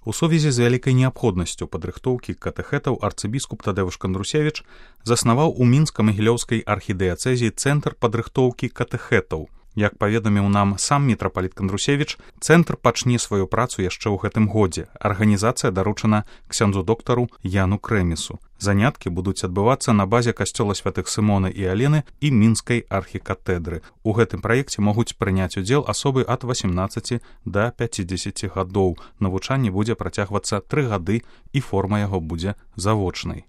У сувязі з вялікай неабходнасцю падрыхтоўкі катэхэтаў арцыбіскуп Тадэвуш Кандрусевіч заснаваў у мінска-магілёўскай архідыяцэзіі цэнтр падрыхтоўкі катэхэтаў. Як паведаміў нам сам мітрапаліт Кандрусевіч, цэнтр пачне сваю працу яшчэ ў гэтым годзе. Арганізацыя даручана ксяндзу-доктару Яну Крэмісу. Заняткі будуць адбывацца на базе касцёла святых Сымона і Алены і мінскай архікатэдры. У гэтым праекце могуць прыняць удзел асобы ад 18 да 50 гадоў. Навучанне будзе працягвацца 3 гады і форма яго будзе завочнай.